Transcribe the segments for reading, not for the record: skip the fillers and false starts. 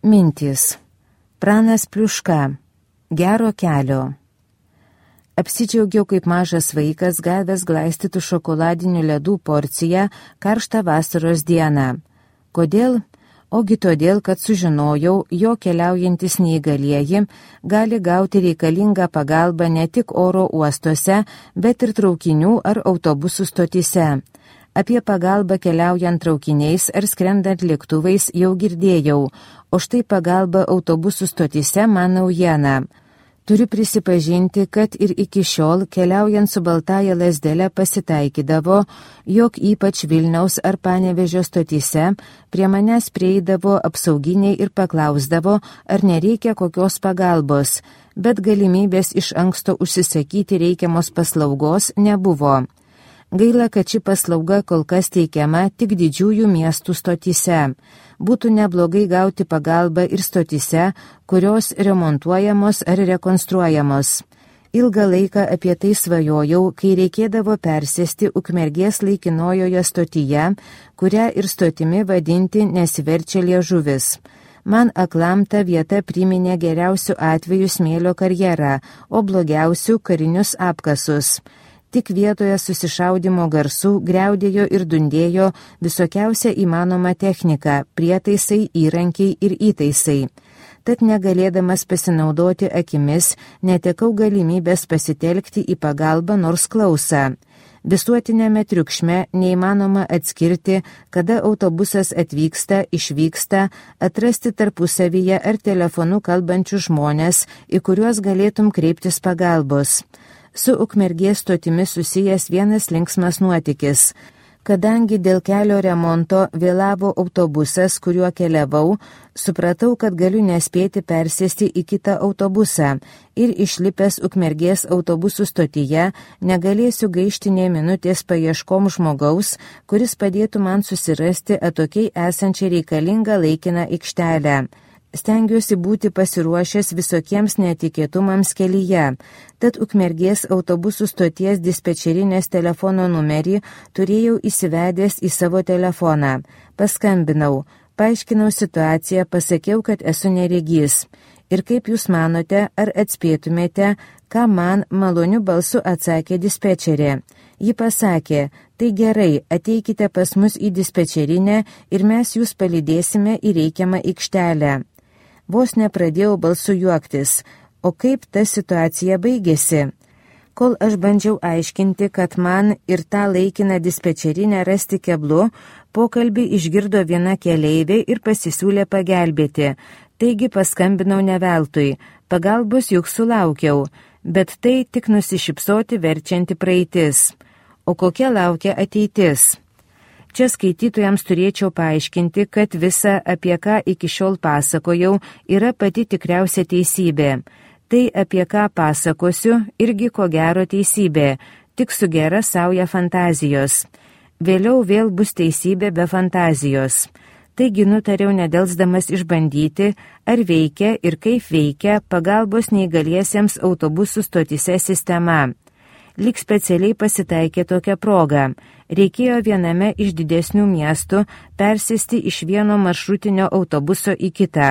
Mintys. Pranas Pliuška. Gero kelio. Apsidžiaugiau kaip mažas vaikas gavęs glaistytų šokoladinių ledų porciją karštą vasaros dieną. Kodėl? Ogi todėl, kad sužinojau, jo keliaujantis neįgalieji gali gauti reikalingą pagalbą ne tik oro uostuose, bet ir traukinių ar autobusų stotyse. Apie pagalbą keliaujant traukiniais ar skrendant lėktuvais jau girdėjau, o štai pagalba autobusų stotyse man naujiena. Turiu prisipažinti, kad ir iki šiol keliaujant su baltąja lazdele pasitaikydavo, jog ypač Vilniaus ar Panevėžio stotyse prie manęs prieidavo apsauginiai ir paklausdavo, ar nereikia kokios pagalbos, bet galimybės iš anksto užsisakyti reikiamos paslaugos nebuvo. Gaila, kad ši paslauga kol kas teikiama tik didžiųjų miestų stotyse. Būtų neblogai gauti pagalbą ir stotyse, kurios remontuojamos ar rekonstruojamos. Ilgą laiką apie tai svajojau, kai reikėdavo persėsti Ukmergės laikinojoje stotyje, kurią ir stotimi vadinti nesiverčia liežuvis. Man aklam ta vieta priminė geriausių atvejų smėlio karjerą, o blogiausių karinius apkasus. Tik vietoje susišaudimo garsų griaudėjo ir dundėjo visokiausia įmanoma technika, prietaisai, įrankiai ir įtaisai. Tad negalėdamas pasinaudoti akimis, netekau galimybės pasitelkti į pagalbą nors klausą. Visuotinėme triukšme neįmanoma atskirti, kada autobusas atvyksta, išvyksta, atrasti tarpusavyje ar telefonu kalbančių žmonės, į kuriuos galėtum kreiptis pagalbos. Su Ukmergės stotimi susijęs vienas linksmas nuotykis. Kadangi dėl kelio remonto vėlavo autobusas, kuriuo keliavau, supratau, kad galiu nespėti persėsti į kitą autobusą ir išlipęs Ukmergės autobusų stotyje negalėsiu gaišti nė minutės paieškom žmogaus, kuris padėtų man susirasti atokiai esančią reikalingą laikiną aikštelę. Stengiuosi būti pasiruošęs visokiems netikėtumams kelyje, tad Ukmergės autobusų stoties dispečerinės telefono numerį turėjau įsivedęs į savo telefoną. Paskambinau, paaiškinau situaciją, pasakiau, kad esu neregys. Ir kaip jūs manote, ar atspėtumėte, ką man maloniu balsu atsakė dispečerė? Ji pasakė, tai gerai, ateikite pas mus į dispečerinę ir mes jūs palydėsime į reikiamą aikštelę. Vos nepradėjau balsu juoktis, o kaip ta situacija baigėsi? Kol aš bandžiau aiškinti, kad man ir tą laikiną dispečerinę rasti keblu, pokalbį išgirdo viena keleivė ir pasisiūlė pagelbėti. Taigi paskambinau ne veltui, pagalbos juk sulaukiau, bet tai tik nusišypsoti verčianti praeitis. O kokia laukia ateitis? Čia skaitytojams turėčiau paaiškinti, kad visa, apie ką iki šiol pasakojau, yra pati tikriausia teisybė. Tai, apie ką pasakosiu, irgi ko gero teisybė, tik su gera sauja fantazijos. Vėliau vėl bus teisybė be fantazijos. Taigi nutariau nedelsdamas išbandyti, ar veikia ir kaip veikia pagalbos neįgaliesiems autobusų stotyse sistema. Lyg specialiai pasitaikė tokia proga. Reikėjo viename iš didesnių miestų persėsti iš vieno maršrutinio autobuso į kitą.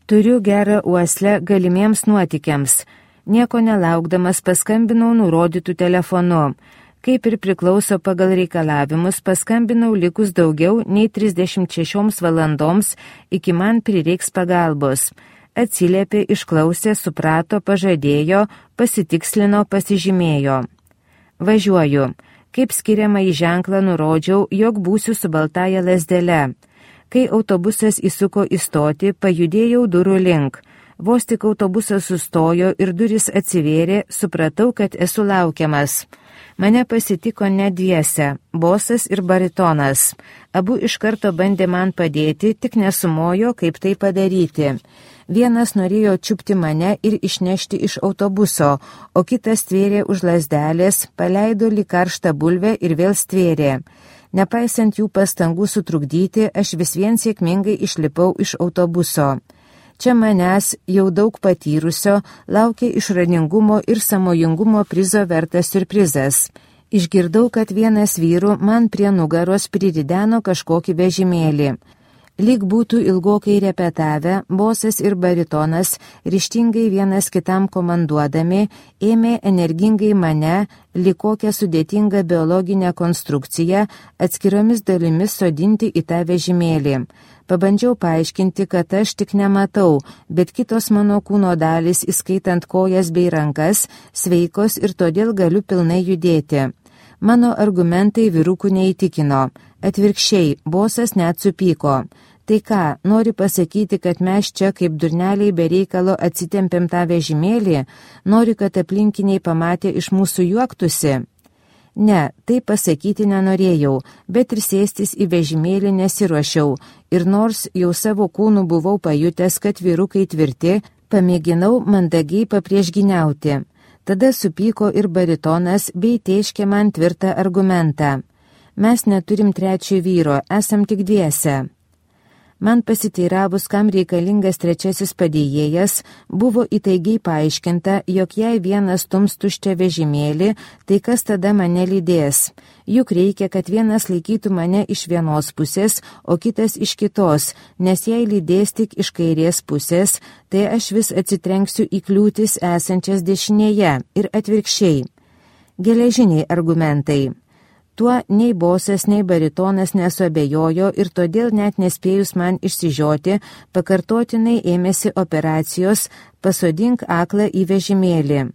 Turiu gerą uoslę galimiems nuotykiams. Nieko nelaukdamas paskambinau nurodytų telefonu. Kaip ir priklauso pagal reikalavimus, paskambinau likus daugiau nei 36 valandoms, iki man prireiks pagalbos. Atsiliepė, išklausė, suprato, pažadėjo, pasitikslino, pasižymėjo. Važiuoju. Kaip skiriamą į ženklą nurodžiau, jog būsiu su baltąja lazdele. Kai autobusas įsuko į stotį, pajudėjau durų link. Vos tik autobusas sustojo ir durys atsivėrė, supratau, kad esu laukiamas. Mane pasitiko net dviese, bosas ir baritonas. Abu iš karto bandė man padėti, tik nesumojo, kaip tai padaryti. Vienas norėjo čiupti mane ir išnešti iš autobuso, o kitas stvėrė už lazdelės, paleido lyg karštą bulvę ir vėl stvėrė. Nepaisant jų pastangų sutrukdyti, aš vis vien sėkmingai išlipau iš autobuso. Čia manęs, jau daug patyrusio, laukia išradingumo ir sąmojingumo prizo vertas siurprizas. Išgirdau, kad vienas vyrų man prie nugaros prirideno kažkokį vežimėlį. Lyg būtų ilgokai repetavę, bosas ir baritonas, ryžtingai vienas kitam komanduodami, ėmė energingai mane, lyg kokią sudėtingą biologinę konstrukciją, atskiromis dalimis sodinti į tą vežimėlį. Pabandžiau paaiškinti, kad aš tik nematau, bet kitos mano kūno dalys, įskaitant kojas bei rankas, sveikos ir todėl galiu pilnai judėti. Mano argumentai vyrukų neįtikino. Atvirkščiai, bosas net supyko. Tai ką, nori pasakyti, kad mes čia kaip durneliai be reikalo atsitempėm tą vežimėlį, nori, kad aplinkiniai pamatė iš mūsų juoktųsi? Ne, tai pasakyti nenorėjau, bet ir sėstis į vežimėlį nesiruošiau, ir nors jau savo kūnų buvau pajutęs, kad vyrukai tvirti, pamėginau mandagiai papriešginiauti. Tada supyko ir baritonas bei tėškė man tvirtą argumentą. Mes neturim trečio vyro, esam tik dviese. Man pasiteiravus, kam reikalingas trečiasis padėjėjas, buvo įtaigiai paaiškinta, jog jei vienas stums tuščią vežimėlį, tai kas tada mane lydės? Juk reikia, kad vienas laikytų mane iš vienos pusės, o kitas iš kitos, nes jei lydės tik iš kairės pusės, tai aš vis atsitrenksiu į kliūtis esančias dešinėje ir atvirkščiai. Geležiniai argumentai. Tuo nei bosas, nei baritonas nesuabejojo ir todėl net nespėjus man išsižioti, pakartotinai ėmėsi operacijos pasodink aklą į vežimėlį.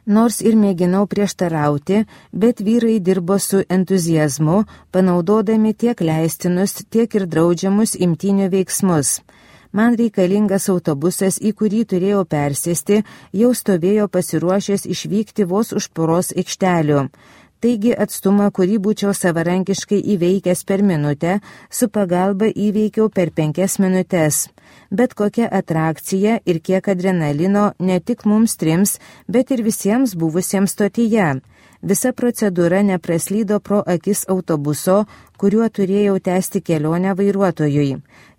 Nors ir mėginau prieštarauti, bet vyrai dirbo su entuziazmu, panaudodami tiek leistinus, tiek ir draudžiamus imtynių veiksmus. Man reikalingas autobusas, į kurį turėjau persėsti, jau stovėjo pasiruošęs išvykti vos už poros aikštelių. Taigi atstumą, kurį būčiau savarankiškai įveikęs per minutę, su pagalba įveikiau per 5 minutes. Bet kokia atrakcija ir kiek adrenalino ne tik mums trims, bet ir visiems buvusiems stotyje. Visa procedūra nepraslydo pro akis autobuso, kuriuo turėjau tęsti kelionę vairuotojui.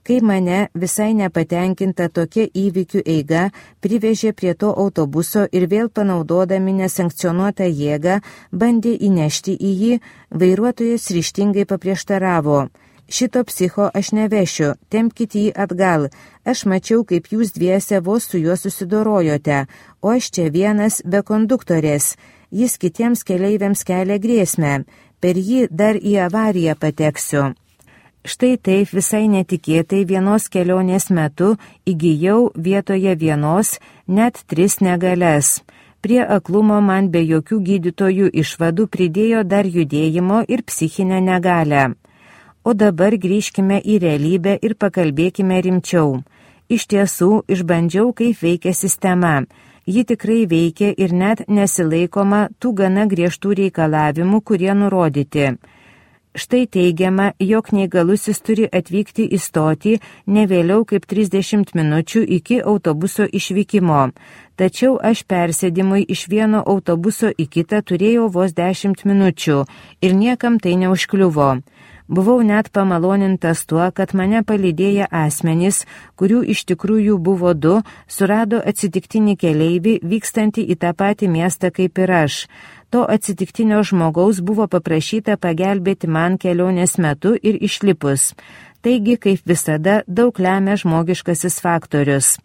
Kai mane, visai nepatenkinta tokia įvykių eiga, privežė prie to autobuso ir vėl panaudodami nesankcionuotą jėgą, bandė įnešti į jį, vairuotojas ryžtingai paprieštaravo. Šito psicho aš nevešiu, tempkite jį atgal. Aš mačiau, kaip jūs dviese vos su juo susidorojote, o aš čia vienas be konduktorės. Jis kitiems keleiviams kelia grėsmę. Per jį dar į avariją pateksiu. Štai taip visai netikėtai vienos kelionės metu įgijau vietoje vienos net 3 negalias. Prie aklumo man be jokių gydytojų išvadų pridėjo dar judėjimo ir psichinę negalę. O dabar grįžkime į realybę ir pakalbėkime rimčiau. Iš tiesų, išbandžiau, kaip veikia sistema. Ji tikrai veikia ir net nesilaikoma tų gana griežtų reikalavimų, kurie nurodyti. Štai teigiama, jog neįgalusis turi atvykti į stotį ne vėliau kaip 30 minučių iki autobuso išvykimo. Tačiau aš persėdimui iš vieno autobuso į kitą turėjau vos 10 minučių ir niekam tai neužkliuvo. Buvau net pamalonintas tuo, kad mane palydėję asmenys, kurių iš tikrųjų buvo 2, surado atsitiktinį keleivį vykstantį į tą patį miestą kaip ir aš. To atsitiktinio žmogaus buvo paprašyta pagelbėti man kelionės metu ir išlipus. Taigi, kaip visada, daug lemia žmogiškasis faktorius.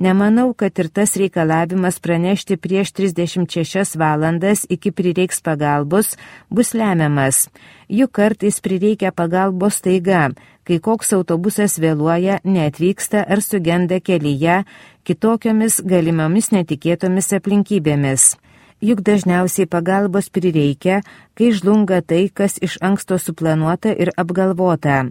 Nemanau, kad ir tas reikalavimas pranešti prieš 36 valandas iki prireiks pagalbos bus lemiamas. Juk kartais prireikia pagalbos staiga, kai koks autobusas vėluoja, neatvyksta ar sugenda kelyje kitokiomis galimomis netikėtomis aplinkybėmis. Juk dažniausiai pagalbos prireikia, kai žlunga tai, kas iš anksto suplanuota ir apgalvota.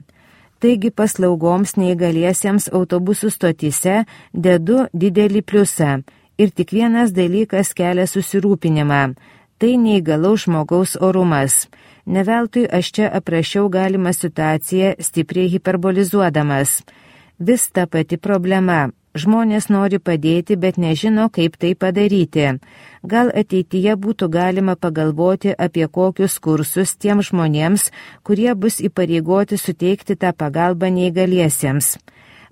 Taigi paslaugoms neįgaliesiems autobusų stotyse dedu didelį pliusą ir tik vienas dalykas kelia susirūpinimą – tai neįgalaus žmogaus orumas. Neveltui aš čia aprašiau galimą situaciją stipriai hiperbolizuodamas. Vis ta pati problema. Žmonės nori padėti, bet nežino, kaip tai padaryti. Gal ateityje būtų galima pagalvoti apie kokius kursus tiems žmonėms, kurie bus įpareigoti suteikti tą pagalbą neįgaliesiems.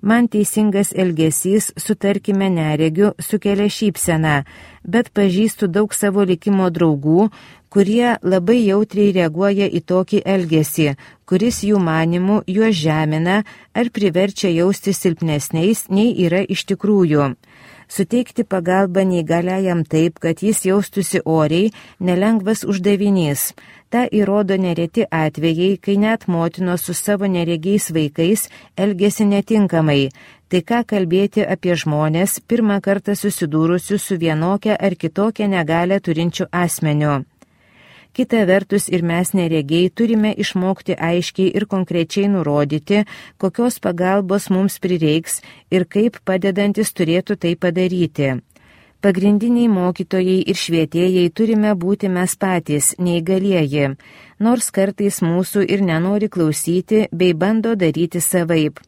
Man teisingas elgesys, sutarkime neregiu, sukelia šypseną, bet pažįstu daug savo likimo draugų, kurie labai jautriai reaguoja į tokį elgesį, kuris jų manimų juos žemina ar priverčia jausti silpnesniais, nei yra iš tikrųjų. Suteikti pagalbą neįgaliajam taip, kad jis jaustųsi oriai, nelengvas uždavinys. Ta įrodo nereti atvejai, kai net motinos su savo neregiais vaikais elgesi netinkamai. Tai ką kalbėti apie žmonės, pirmą kartą susidūrusius su vienokia ar kitokia negalią turinčiu asmeniu. Kita vertus ir mes neregiai turime išmokti aiškiai ir konkrečiai nurodyti, kokios pagalbos mums prireiks ir kaip padedantis turėtų tai padaryti. Pagrindiniai mokytojai ir švietėjai turime būti mes patys, neįgalieji, nors kartais mūsų ir nenori klausyti bei bando daryti savaip.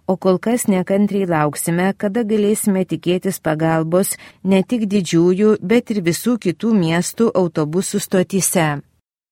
O kol kas nekantriai lauksime, kada galėsime tikėtis pagalbos ne tik didžiųjų, bet ir visų kitų miestų autobusų stotyse.